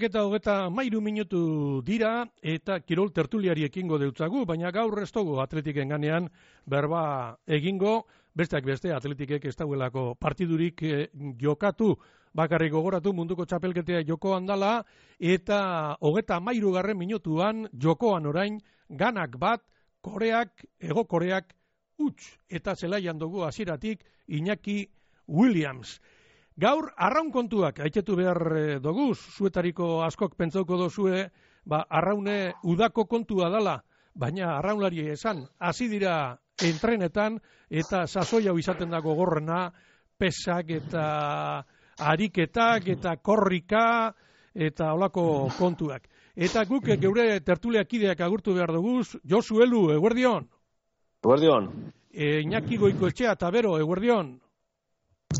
2:23 minutu dira eta kirol tertuliari ekingo deutzagu, baina gaur ez dugu Atletiken ganean berba egingo, besteak beste Atletikek ez dauelako partidurik jokatu, bakarrik gogoratu munduko txapelketea jokoan dala, eta 33. minutuan jokoan orain Ganak bat, Hego Koreak huts, eta zelaian dugu hasieratik Iñaki Williams. Gaur, arraun kontuak, haitzetu behar doguz, zuetariko askok pentsauko dozue, arraune udako kontua dala, baina arraunlari esan, hasi dira entrenetan, eta sasoi hau izaten dago gogorrena, pesak eta ariketak eta korrika, eta holako kontuak. Eta guk geure tertuliakideak agurtu behar doguz, Josu Elu, eguerdion? Eguerdion. Iñaki Goikoetxea, Tabero, eguerdion?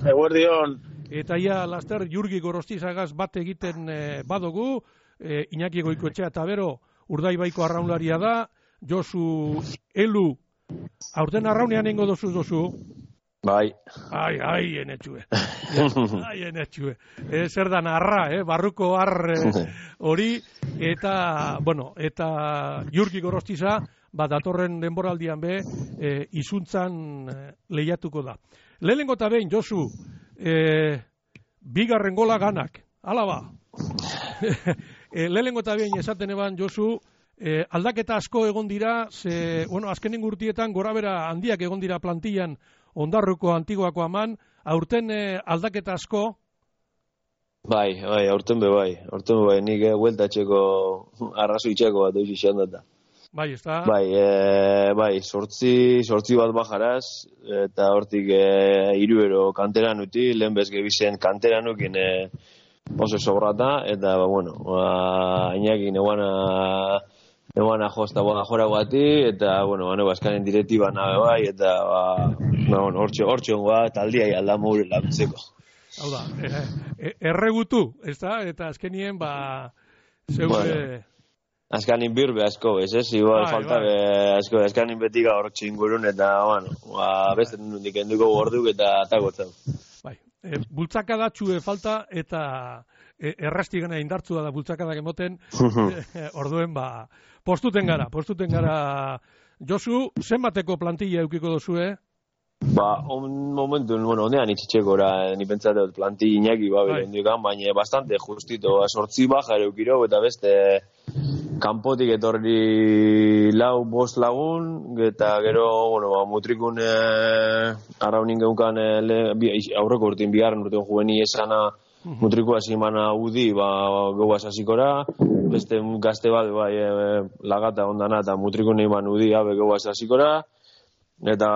Eguerdion. Eta ia laster Jurgi Gorostizagaz bat egiten badugu, Iñaki Goikoetxea Tabero Urdaibaiko arraunlaria da, Josu Elu, aurten arraunean ingo dozu? Bai. Ai, enetxue. Zer da narra, barruko ar hori, eta Jurgi Gorostiza, datorren denboraldian be, izuntzan lehiatuko da. Lehenengo eta behin, Josu, bigarren gola Ganak, ala ba. Lehenengo eta behin esaten eban, Josu, aldaketa asko egon dira, azkenen urtietan gorabera handiak egon dira plantillan Ondarruko Antiguako aman, aurten aldaketa asko? Bai, aurten be bai, nik hueltatxeko arrazoitxeko bat eus izan data. Bai, ez da? Bai, sortzi bat bajaraz, eta hortik 3 kanteran uti, lehen bezge bizen kanteran ukin oso sobrata, eta, Iñaki neguana josta jora guati, eta, azkanen direktiba nabe bai, eta, hortxe ongoa, taldia aldamu gure laguntzeko. Hau da, erregutu, ez da? Eta azkenien, zeure... Azkanin birbe asko, ez? Igual falta asko, azkanin beti gaur txingurun, eta, beste nundik enduko gorduk eta atakotzen. Bai, bultzakadatxue falta, eta errastigana indartzua da bultzakadak emoten, orduen, postuten gara. Josu, zenbateko plantilla eukiko dozue? Momentu, honean itxitxekora, ni pentsatzen plantilla Iñaki beren dukan, baina bastante justito, 8 baja eukiro, eta beste kanpotik etorri 4-5 lagun, eta gero, mutrikun arraunin geukan aurreko urtein biharren urtean juveni esana mutrikua zimana udi, gauaz hasikora, beste gazte bat, lagata ondana, eta mutrikun iman udi, gauaz hasikora, eta,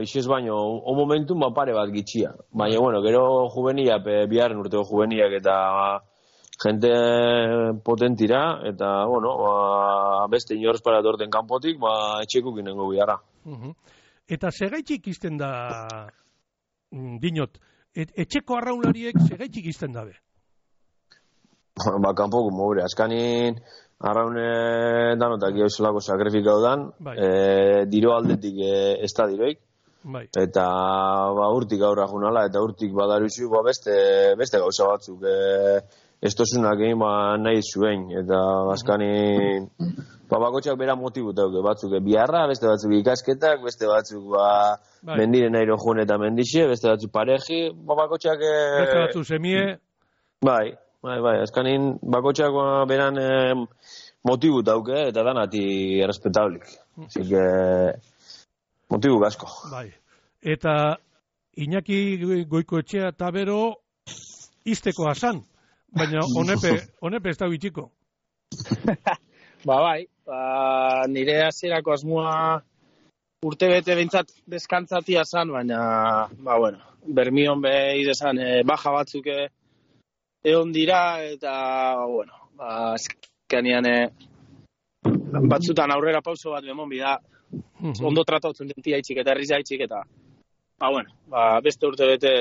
ixiz baino, o momentum pare bat gitxia. Baina, gero juvenia, biharren urteko juveniak eta gente potentira, eta, beste inorz para torten kanpotik, etxekuk inengo biharra. Eta segaitxik izten da, dinot, etxeko arraunlariek segaitxik izten dabe? Kanpoko mogure, azkanin arraune danotak eosolako sakrifikau dan, diro aldetik ez da diroik, eta urtik aurra junala, eta urtik badaruzu beste gauza batzuk, ez tozunak egin nahi zuen, eta azkanin bakotxak bera motibu tauke, batzuk biharra, beste batzuk ikasketak, beste batzuk mendiren airo june eta mendixe, beste batzuk pareji, bakotxak... Beste batzuk semie... Bai, azkanin bakotxak beran motibu tauke, eta danati errespetablik. Así que, motibu gasko. Bai, eta Iñaki Goikoetxea Tabero izteko asan, baina honepe ez da bitxiko. Nire hasierako asmoa urte bete bintzat deskantzatia zan, baina, bermion behiz esan baja batzuk egon dira, eta, azkenean batzutan aurrera pauso bat bemon bida, ondo tratautzen dentia itxik eta herriz itxik, eta, beste urte bete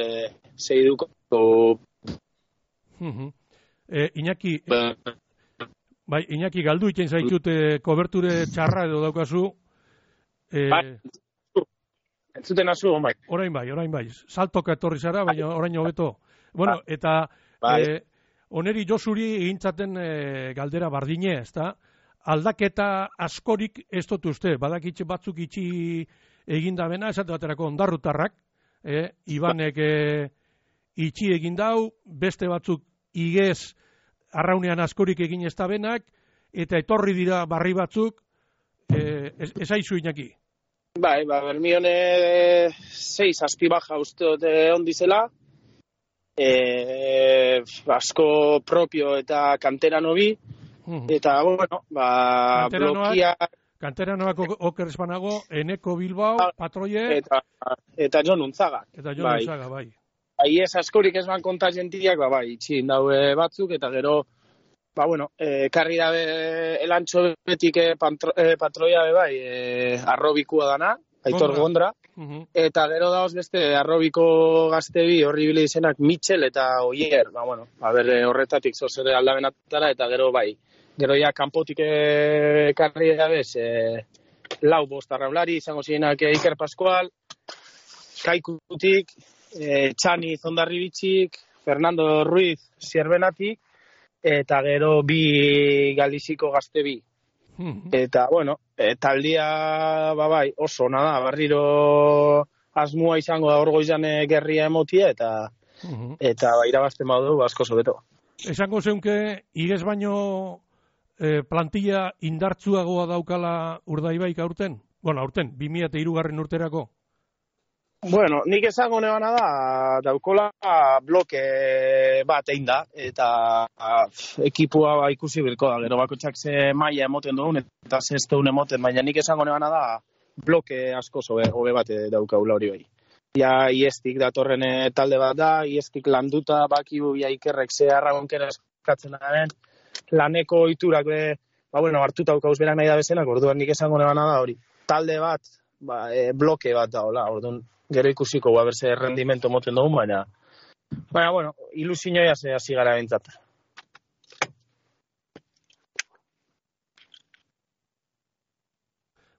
zeiduko. Iñaki... Iñaki, galdu iten zaitut koberture txarra edo daukazu. Entzuten azu, bai. Orain bai. Saltoka etorri zara, baina orain hobeto. Eta oneri Josuri egintzaten galdera bardine, ezta? Aldaketa askorik ez dut uste, badakitxe batzuk itxi egindabena, esate baterako ondarrutarrak, Ibanek itxi egindau, beste batzuk igez arraunean askorik egin ez dabenak, eta etorri dira barri batzuk, esaizu inaki. Bai, Bermione 6 azpibaja uste dut ondizela, asko propio eta kanterano bi, eta, bueno, blokia... Kanteranoak oker espanago, Eneko Bilbao, Patroie... Eta Jon Unzaga. Eta Jon Unzaga, bai. Ez askorik ez ban konta jentiak, bai, itxin daue batzuk, eta gero, bueno, karri dabe elantxo betik Patroia, bai, arrobikua dana, Aitor Gondra, eta gero dauz beste arrobiko gaztebi horri bile izenak Mitchell eta Oier, bueno, horretatik zozere aldabenatara, eta gero, bai, gero ja kanpotik karri dabez, lau bost arraulari, izango zirenak Iker Pascual, Kaikutik, Txani Zondarribitxik, Fernando Ruiz Zierbenatik, eta gero bi galiziko gazte bi. Eta, bueno, taldia, bai, oso, nada, barriro asmua izango da orgoizan gerria emotia, eta irabazten badu, asko sobeto. Esango zeunke, igez baino plantilla indartzuagoa daukala Urdaibaik aurten? Bueno, aurten, 2003 urterako? Bueno, nik esango nebana da, daukola bloke bat egin da, eta ekipua ikusi bilko da, gero bakotxak ze maila emoten dugun, eta ze ez dugun emoten, baina nik esango nebana da, bloke asko hobe bat daukaula hori bai. Ja, iestik datorren talde bat da, iestik landuta, bakibu, ja Ikerrek ze arragonkera eskatzen den, laneko iturak hartuta daukauz berak nahi da bezenak, orduan nik esango nebana da hori. Talde bat, bloke bat da, orduan, gero ikusiko, berze rendimento moten dugun, baina, bueno, ilusioa ze hasi gara bentzat.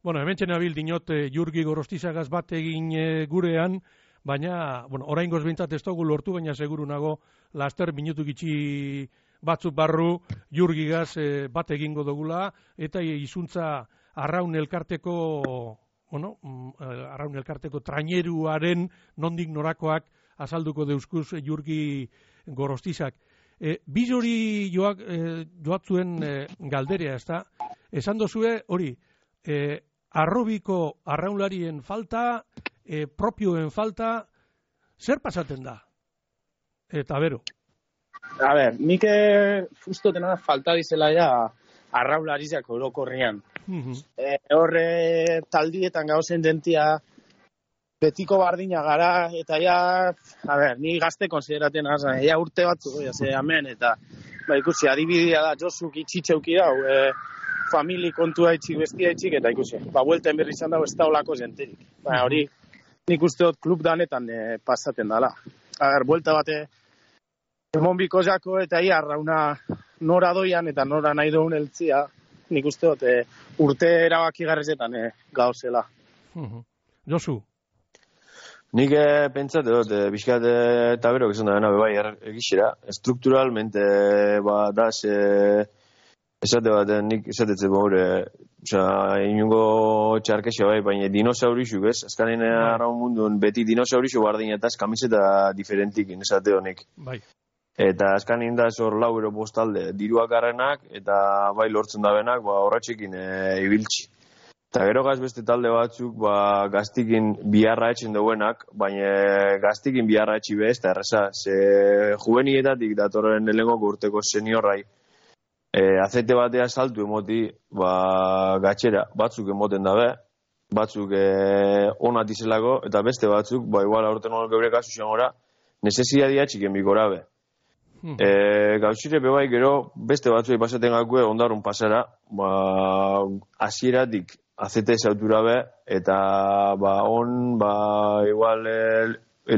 Bueno, hemen txenabil dinot Jurgi Gorostizagaz bat egin gurean, baina, oraingoz bintzat ez dugu lortu, baina seguru nago, laster minutu gitxi batzuk barru, Jurgigaz bat egingo dugula, eta izuntza arraun elkarteko traineruaren nondik norakoak azalduko deuskuz Jurgi Gorostizak. Bizori joatzuen galderea, ezta? Esan dozue, hori, arrobiko arraunlarien falta, propioen falta, zer pasaten da? Eta bero. A ber, nik ustotena falta dizela ja arraunlarizak orokorrian. Horre taldietan gauzen dentia betiko bardina gara, eta ja, ni gazte konsideraten azan, ja urte batzu, hemen, eta ikusi, adibidea da, Josuk itxitxeuki dau, famili kontua itxik, bestia itxik, eta ikusi, buelten berri izan dago ez da olako jenterik. Hori, nik uste dut klub danetan pasaten dala. Buelta bate, emon biko jako, eta arrauna nora doian, eta nora nahi dugun eltzia, nik uste dut urte erabaki garrezetan gauzela. Josu? Nik pentsate dut, bizkat eta berok esan da bena, bai, egixera, strukturalmente, da, esate bat, nik esatetzen baure, inungo txarkexa bai, baina dinosaurixuk, ez? Azkanen arraun mundun, beti dinosaurixu bardinetaz kamiseta diferentik, esate honek. Bai. Eta azkanin da zor lau ero postalde, diruak garrenak, eta bai lortzen da benak, horratxekin ibiltzi. Eta gero beste talde batzuk, gaztikin biharra etxen duenak, baina gaztikin biharra etxi be, ez da erreza, ze juvenietatik datorren lehenko urteko seniorrai, azete batea saltu emoti, gatxera, batzuk emoten dabe, batzuk onat izelako, eta beste batzuk, igual aurten hori geure kasu xangora, nesesiadia txiken bikora be. Gauzire bebai gero beste batzuei pasaten gakue ondarun pasara, hasieratik azete zautura be, eta igual